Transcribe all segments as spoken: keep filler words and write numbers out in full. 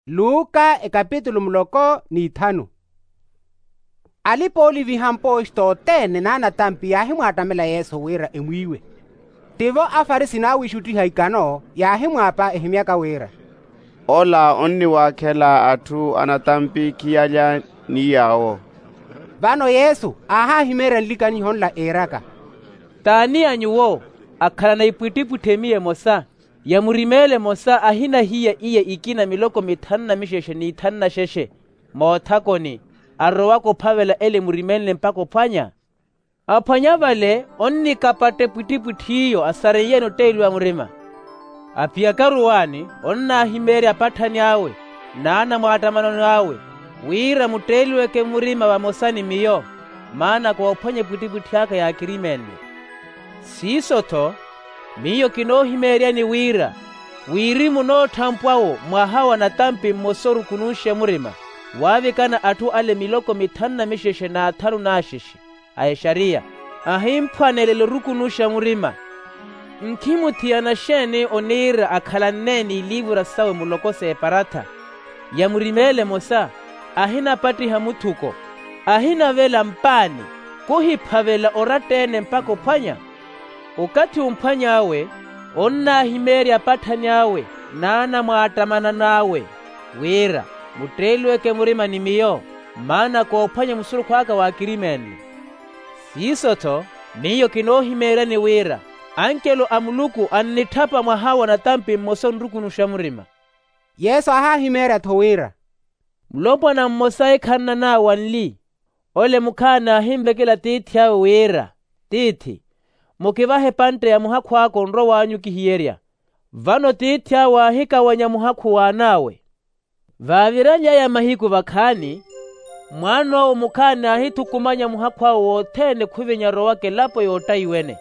Luka ekapitulu muloko n'ithanu. Alipa-ooliviha mpooxita othene n'anatampi yaahimwaattamela yesu wira emwiiwe. Tivo afarisi n'awiixuttiha ikano yaahimwaapa ehimyaka wira, ola onniwaakhela atthu anatampi khiyalya ni yaawo. Vano yesu aahahimeerya nlikaniho nla iiraka, t'ani a nyuwo akhalana ipwittipwitthi emiya emosa, ya murimeela emosa ahina hiya iya ikina miloko mithanu na mixexe n'ithanu na xexe moothakoni, arowaka ophavela ele murimeele mpakha ophwanya? Aphwanya vale onnikapatta epwittipwitthi iyo asareiye-ene otteeliwa murima. Aphiyakaru waani onnaahimeerya apatthani awe n'anamwaattamanano awe, wira mutteeliweke murima vamosa ni miyo, maana koophwanya epwittipwitthi aka yaakirimeenle. Siiso-tho miyo kinoohimeeryani wira, wirimu nootthampwa-wo mwaha wa natampi mmosa orukunuxa murima, waavikana atthu ale miloko mithanu na mixexe n'athanu n'axexe a exariya, ahimphwanelela orukunuxa murima. Nkhimuthiyana xeeni oniira akhalanne n'iliivura sawe muloko s'eparatha ya murimeela emosa, ahinapattiha muthuko, ahinavela mpaani, kuhiphavela oratta-ene mpakha ophwanya? Okathi omphwany'awe onnaahimeerya apatthani awe n'anamwaattamanano awe, wira mutteeliweke murima ni miyo, maana koophwanya musurukhu aka waakirimeenle. Siiso-tho miyo kinoohimeeryani wira, ankelo a muluku annitthapa mwaha wa natampi mmosa onrukunuxa murima. Yesu aahahimeerya-tho wira, mulopwana mmosa ekhannanaawe anli, ole mukhaani aahinvekela tiithi awe wira, tiithi, mukivahe epantte ya muhakhu aka onrow'anyu kihiyerya. Vano tiithi awe aahikawanya muhakhu w'an'awe. Vaaviraly'aya mahiku vakhaani, mwaan'owo mukhaani aahithukumanya muhakhu awe wothene khuvinya arowaka elapo yoottayiwene,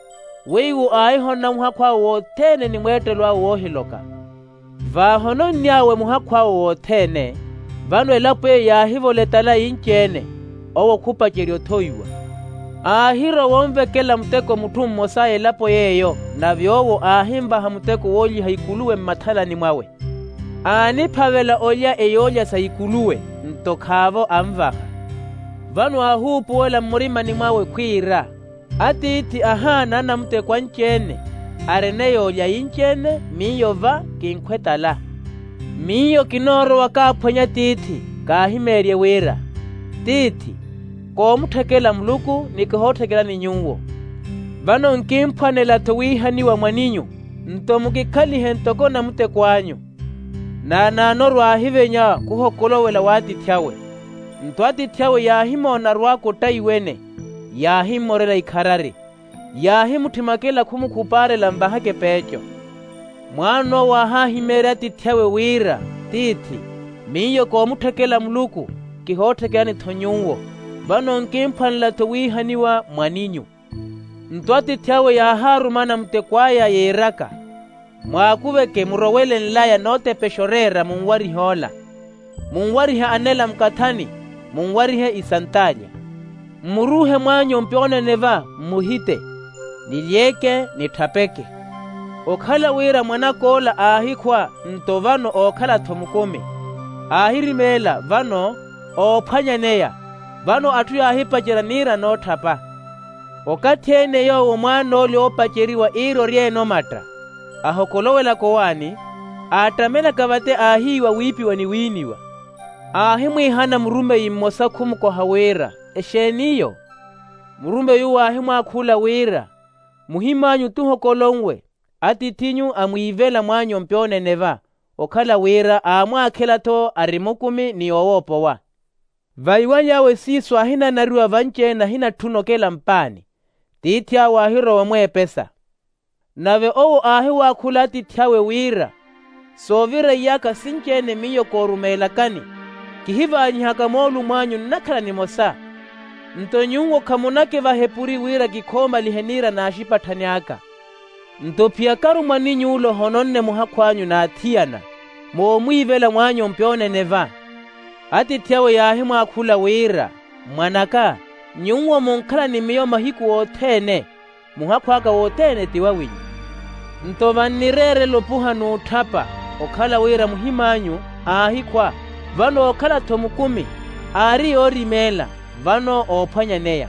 weiwo aahihonona muhakhu awe wothene ni mweettelo awe woohiloka. Vaahononny'awe muhakhu awe wothene, vano elapo eyo yaahivola etala inci-ene, owo khupacerya othowiwa. Aahirowa onvekela muteko mutthu mmosa a elapo yeeyo, nave owo aahinvaha muteko woolyiha ikuluwe mmathalani mwawe. Aaniphavela olya eyoolya sa ikuluwe, nto khaavo anvaha. Vano aahuupuwela mmurimani mwawe khwiira, atiithi ahaana anamuteko anci-ene, arene yoolya inci-ene miyo va kinkhwe tala. Miyo kinoorowa kaaphwanya tiithi, kaahimeerye wira, tiithi, koomutthekela muluku ni kihootthekelani nyuwo. Vano nkimphwanela-tho wiihaniwa mwaninyu, nto mukikhalihe ntoko namutekw'anyu. Naanaanoru aahivenya khuhokolowela w'atiithi awe. Nto atiithi awe yaahimoona arwaaka ottayiwene, yaahimmorela ikharari, yaahimutthimwakela khumukhupaarela nvahaka epeeco. Mwaan'owo aahahimeerya atiithi awe wira, tiithi, miyo koomutthekela muluku, kihootthekelani-tho nyuwo. Vano nkimphwanela-tho wiihaniwa mwaninyu. Nto atiithi awe yaahaaruma anamutekw'aya yiiraka, mwaakuveke murowele nlaya nootepexa oreera munwarihe ola, munwarihe anela mukathani, munwarihe isantaalya. Mmuruuhe mwaanyu mpyoonene va mmuhite, nilyeeke nitthapeke. Okhala wira mwanak'ola aahikhwa, nto vano ookhala-tho mukumi, aahirimeela vano oophwanyaneya. Vano atthu yaahipacerya niira nootthapa. Okathi-ene yoowo mwaan'ole oopaceriwa iirorya-ene omatta, ahokolowelaka owaani, aattamelaka vate aahiiwa wiipiwa ni wiiniwa. Aahimwiihana murumeyi mmosa khumukoha wira, exeen'iyo? Murumeyi uwo aahimwaakhula wira, muhim'anyu tuhokolonwe, atiith'inyu amwiivela mwaanyu mpyoonene va, okhala wira aamwaakhela-tho ari mukumi ni owoopowa. Vaiwany'awe siiso aahinanariwa vanci-ene ahinatthuna okela mpaani, tiithi awe aahirowa omweepesa. Nave owo aahiwaakhula atiithi awe wira, soovira iyaka sinci-ene miyo koorumeelakani, kihivaanyihaka moolumo anyu nnakhala nimosa. Nto nyuwo khamunakivaha epuri wira kikhoomalihe niira n'axipatthani aka. Nto phiyakaru mwaninyu ole ohononne muhakhu anyu n'athiyana, moomwiivela mwaanyu mpyoonene va. Atiithi awe yaahimwaakhula wira, mwan'aka, nyuwo munkhala ni miyo mahiku othene, muhakhu aka wothene ti wawinyu. Nto vannireerela opuha n'utthapa, okhala wira muhim'anyu Aahikhwa. Vano ookhala-tho mukumi, aari yoorimeela, vano oophwanyaneya.